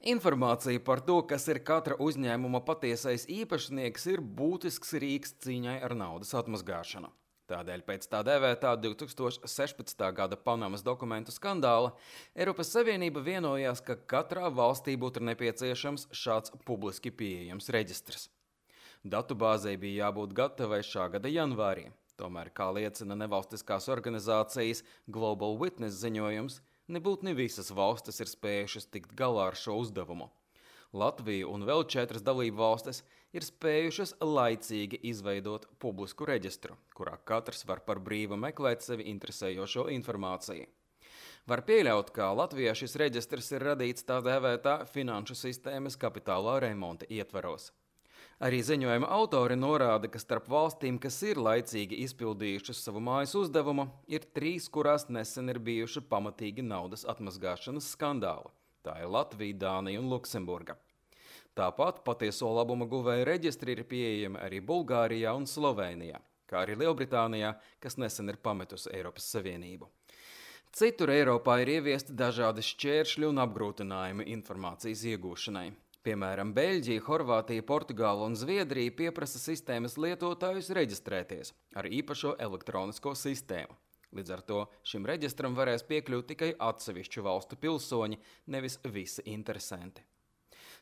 Informācija par to, kas ir katra uzņēmuma patiesais īpašnieks, ir būtisks rīks cīņai ar naudas atmazgāšanu. Tādēļ pēc tā dēvētā 2016. gada Panamas dokumentu skandāla Eiropas Savienība vienojās, ka katrā valstī būtu nepieciešams šāds publiski pieejams reģistrs. Datubāzei bija jābūt gatavai šā gada janvārī. Tomēr, kā liecina nevalstiskās organizācijas Global Witness ziņojums, nebūtu ne visas valstis ir spējušas tikt galā ar šo uzdevumu. Latvija un vēl 4 dalību valstis ir spējušas laicīgi izveidot publisku reģistru, kurā katrs var par brīvu meklēt sevi interesējošo informāciju. Var pieļaut, ka Latvijā šis reģistrs ir radīts tā dēvētā finanšu sistēmas kapitālā remonta ietvaros. Arī ziņojuma autori norāda, ka starp valstīm, kas ir laicīgi izpildījušas savu mājas uzdevumu, ir 3, kurās nesen ir bijuši pamatīgi naudas atmazgāšanas skandāli. Tā ir Latvija, Dānija un Luksemburga. Tāpat patieso labuma guvēju reģistri ir pieejami arī Bulgārijā un Slovēnijā, kā arī Lielbritānijā, kas nesen ir pametusi Eiropas Savienību. Citur Eiropā ir ieviesti dažādi šķēršļi un apgrūtinājumi informācijas iegūšanai. Piemēram, Beļģija, Horvātija, Portugāla un Zviedrija pieprasa sistēmas lietotājus reģistrēties ar īpašo elektronisko sistēmu. Līdz ar to šim reģistram varēs piekļūt tikai atsevišķu valstu pilsoņi, nevis visi interesanti.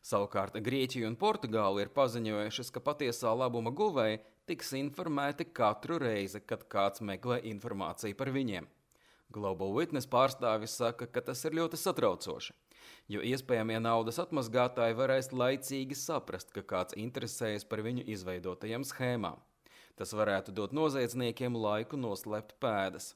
Savukārt Grieķija un Portugāla ir paziņojušas, ka patiesā labuma guvēji tiks informēti katru reizi, kad kāds meklē informāciju par viņiem. Global Witness pārstāvis saka, ka tas ir ļoti satraucoši, jo iespējamie naudas atmazgātāji varēs laicīgi saprast, ka kāds interesējas par viņu izveidotajām schēmām. Tas varētu dot noziedzniekiem laiku noslēpt pēdas.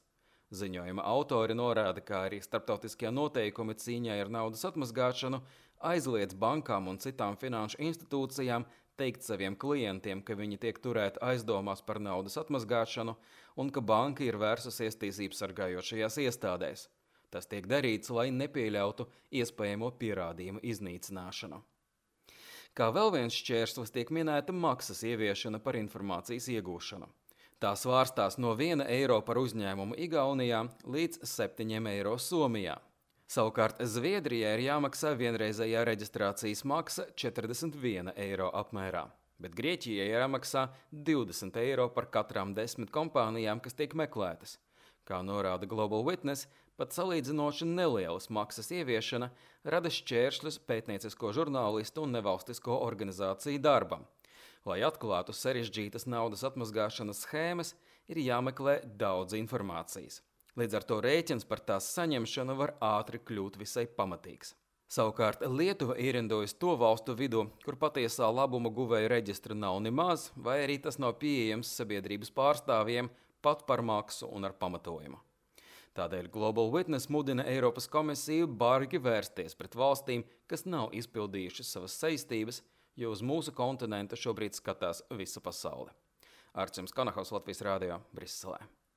Ziņojuma autori norāda, ka arī starptautiskie noteikumi cīņai ar naudas atmazgāšanu aizliedz bankām un citām finanšu institūcijām teikt saviem klientiem, ka viņi tiek turēti aizdomās par naudas atmazgāšanu un ka banka ir vērsusies tiesības sargājošajās iestādēs. Tas tiek darīts, lai nepieļautu iespējamo pierādījumu iznīcināšanu. Kā vēl viens šķērslis tiek minēta maksas ieviešana par informācijas iegūšanu. Tā svārstās no 1 eiro par uzņēmumu Igaunijā līdz 7 eiro Somijā. Savukārt Zviedrijai ir jāmaksā vienreizējā reģistrācijas maksa 41 eiro apmērā, bet Grieķijai ir jāmaksā 20 eiro par katrām 10 kompānijām, kas tiek meklētas. Kā norāda Global Witness, pat salīdzinoši nelielas maksas ieviešana rada šķēršļus pētniecisko žurnālistu un nevalstisko organizāciju darbam. Lai atklātu sarežģītas naudas atmazgāšanas schēmas, ir jāmeklē daudz informācijas. Līdz ar to rēķins par tās saņemšanu var ātri kļūt visai pamatīgs. Savukārt Lietuva ierindojas to valstu vidū, kur patiesā labuma guvēju reģistra nav nemaz, vai arī tas nav pieejams sabiedrības pārstāvjiem pat par maksu un ar pamatojumu. Tādēļ Global Witness mudina Eiropas komisiju bargi vērsties pret valstīm, kas nav izpildījušas savas saistības, jo uz mūsu kontinentu šobrīd skatās visa pasaule. Arčuns Kanahaus, Latvijas Rādio, Briselē.